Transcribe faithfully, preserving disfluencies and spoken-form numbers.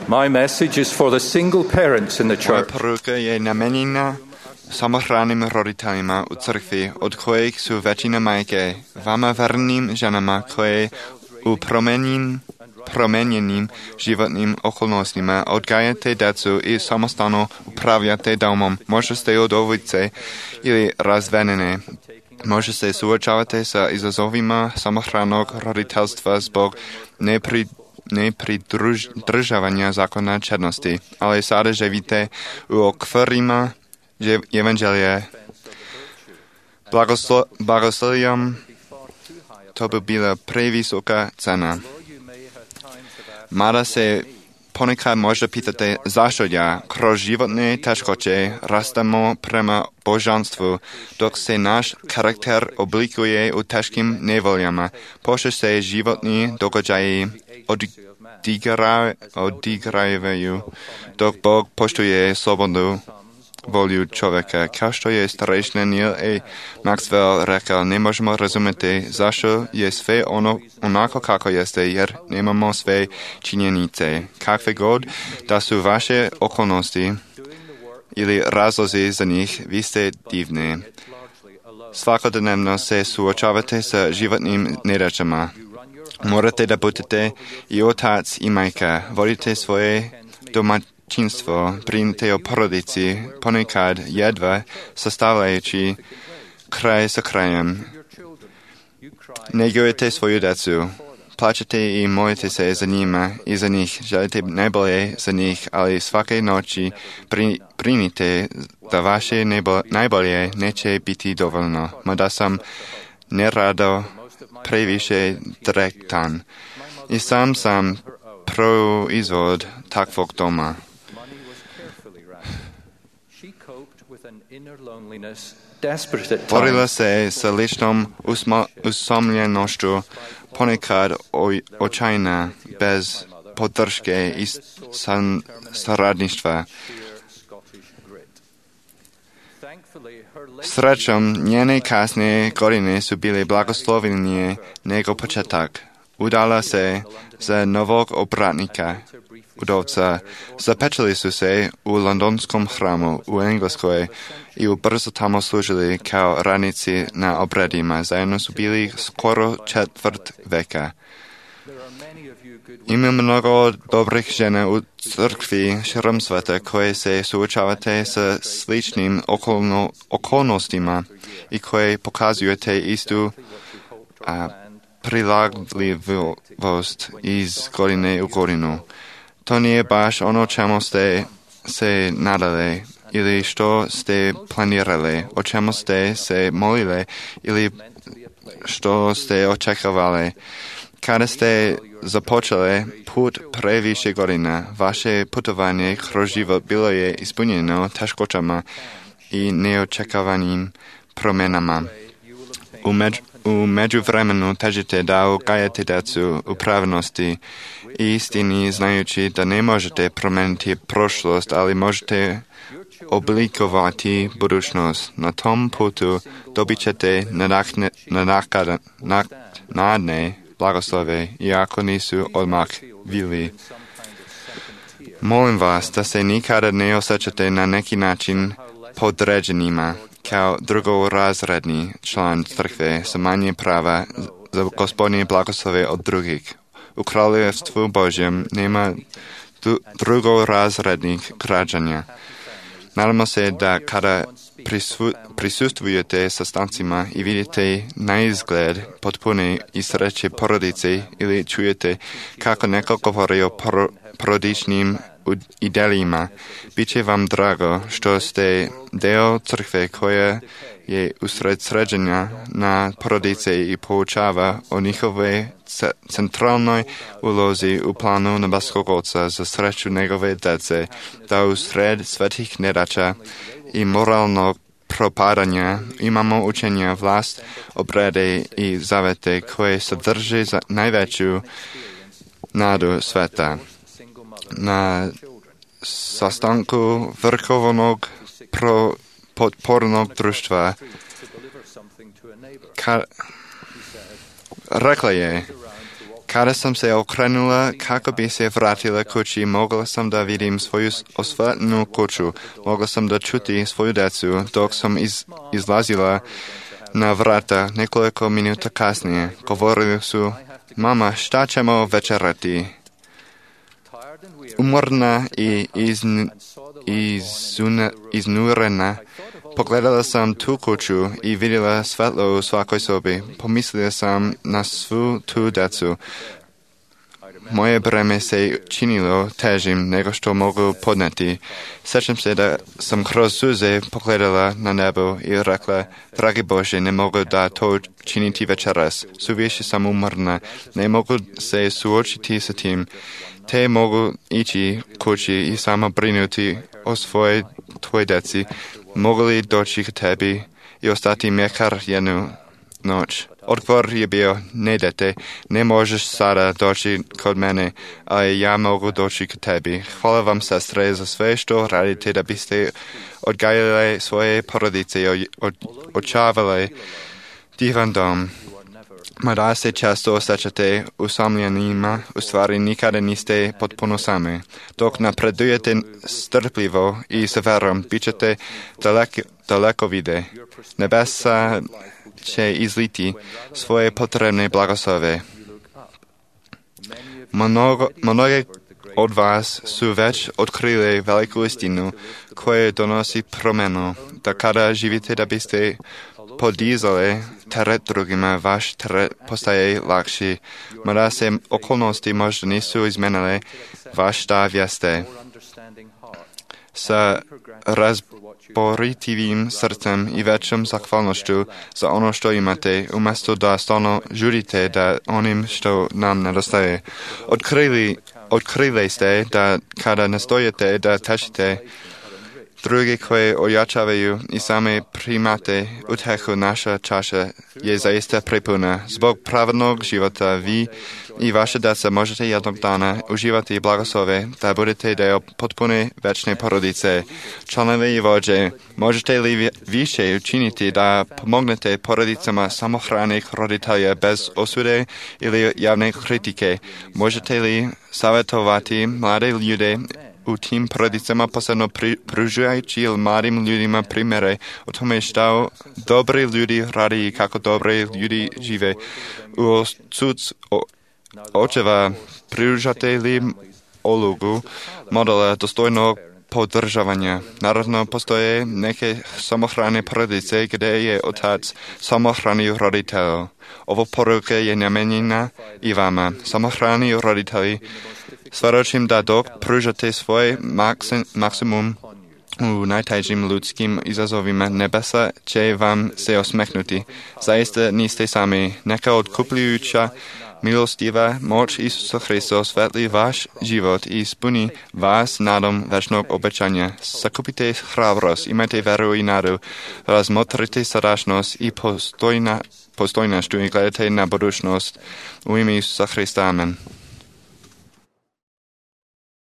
My message is for the single parents in the Moja church. poruka je namenjena samohraným roditeľima u cirkvi, od kojich sú väčšina majke, vama verným ženama, koje u promenin, promenjeným životním okolnostima odgajate decu i samostano upravljate domom. Možda ste od ulice ili razvedené. Možda se suočavate sa izazovima samohranog roditeľstva zbog nepri, nepridržavanja zákona čednosti, ale sada živíte u okvirima evangelie. Blagoslo, blagosloviam, to by byla prevysoká cena. Mada se ponekad možda pýtate, zašto ja kroz životné ťažkoće rastemo prema božanstvu, dok se náš charakter oblikuje u ťažkým nevoljama. Pošto se životní događaji odigrajú, dok Bog poštuje slobodu volju čoveka. Kao što je starejší Neil A. Maxwell rekao, ne možemo razumjeti zašto je sve ono onako kako jeste, jer nemamo sve činjenice. Kakve god da su vaše okolnosti ili razlozi za njih, vi ste divni. Svakodnevno se suočavate sa životnim nedaćama. Morate da budete i otac i majka. Vodite svoje domaćinstvo, brinite o porodici, ponekad jedva sastavljajući kraj sa krajem. Negujete svoju decu. Plačete i molite se za njima i za njih. Želite najbolje za njih, ali svake noći brinite da vaše najbolje neće biti dovoljno. Mada sam nerado previše direktan. I sam sam proizvod takvog doma. Borila se sa ličnom usamljenošću, ponekad očajna, bez podrške i saradništva. Srećom, njene kasne godine su bile blagoslovnije nego početak. Udala se za novog obratnika, udovca. Zapečili su se u londonskom hramu u Engleskoj i ubrzo tamo služili kao radnici na obredima. Zajedno su bili skoro četvrt veka. Ima mnogo dobrih žena u crkvi širom sveta koje se suočavate sa sličnim okolno, okolnostima i koje pokazujete istu a, prilagodljivost iz godine u godinu. To nije baš ono čemu ste se nadali ili što ste planirali, o čemu ste se molili ili što ste očekavali. Kada ste započeli put previše godina, vaše putovanje kroz život bilo je ispunjeno teškoćama i neočekavanim promjenama. U, među, u međuvremenu težite da ugajate decu u pravilnosti i istini, znajući da ne možete promijeniti prošlost, ali možete oblikovati budućnost. Na tom putu dobit ćete nadne blagoslove, iako nisu odmah bili. Molim vas da se nikada ne osjećate na neki način podređenima, kao drugorazredni član crkve sa manje prava za gospodine blagoslove od drugih. U kraljevstvu Božjem nema drugorazrednih građanja. Nadamo se da kada prisu, prisustvujete sastancima i vidite na izgled potpune i sreće porodice ili čujete kako neko govori o por, porodičnim idejima, bit će vam drago što ste deo crkve koja je usred sređenja na porodice i poučava o njihove centralnoj ulozi u planu nebeskog Oca za sreću njegove djece, da usred svetih nedaća i moralnog propadanja imamo učenja, vlast, obrede i zavete koje sadrže najveću nadu sveta. Na sastanku vrhovnog pro, podpornog društva ka, rekla je, Kada jsem se okrenula, kako by se vrátila kući, mogla jsem da vidím svoju osvětlenou kuću. Mogla jsem da čuti svoju decu, dok jsem iz, izlazila na vrata nekoliko minuta kasnije. Govorili su, mama, šta ćemo večerati? Umorna i izn, izuna, iznurena, pogledala sam tu kuću i vidjela svetlo u svakoj sobi. Pomislila sam na svu tu decu. Moje breme se činilo težim nego što mogu podneti. Sjećam se da sam kroz suze pogledala na nebo i rekla, dragi Bože, ne mogu da to činiti večeras. Suviše sam umorna, ne mogu se suočiti sa tim. Te mogu ići kući i samo brinuti o svojoj tvoj deci. Mogu li doći k tebi i ostati mekar jednu noć? Odgovor je bio, ne dete, ne možeš sada doći kod mene, ali ja mogu doći k tebi. Hvala vam, sestre, za sve što radite da biste odgajali svoje porodice i očavali divan dom. Mada se često osjećate usamljenima, u stvari nikada niste potpuno sami. Dok napredujete strpljivo i s verom, bit ćete daleko, daleko vide. Nebesa će izliti svoje potrebne blagoslove. Mnogo, mnoge od vas su već otkrili veliku istinu koja donosi promjenu, da kada živite da biste podizali teret drugima, vaš teret postaje lakši. Mada se okolnosti možda nisu izmenile, vaš stav jeste. Sa razboritivim srcem i većom zahvalnošću za ono što imate, umjesto da stalno žurite da onim što nam nedostaje. Otkrili, otkrili ste da kada nastojite da tešite drugi koje ojačavaju i same primate utehu, naša čaša je zaista prepuna. Zbog pravednog života vi i vaše deca možete jednog dana uživati blagoslove da budete deo potpune večne porodice. Članovi i vođe, možete li više učiniti da pomognete porodicama samohranih roditelja bez osude ili javne kritike? Možete li savjetovati mlade ljude u tim porodicama, posebno pružajući mladim ljudima primjere o tome što dobri ljudi radi i kako dobri ljudi žive? U odsudstvu očeva pružate li ulogu modela dostojnog podržavanja? Naravno, postoje neke samohrane porodice gdje je otac samohrani roditelj. Ovo poruka je namijenjena i vama. Samohrani roditelji, svjedočim da dok pružate svoj maksim, maksimum u najtežim ljudskim izazovima, nebesa će vam se osmehnuti. Zaista niste sami. Neka otkupljujuća milostiva moć Isusa Hrista osvetli vaš život i ispuni vas nadom večnog obećanja. Sakupite hrabrost, imajte veru i nadu, razmotrite sadašnost i postojna, postojnošću i gledajte na budućnost. U ime Isusa Hrista, amen.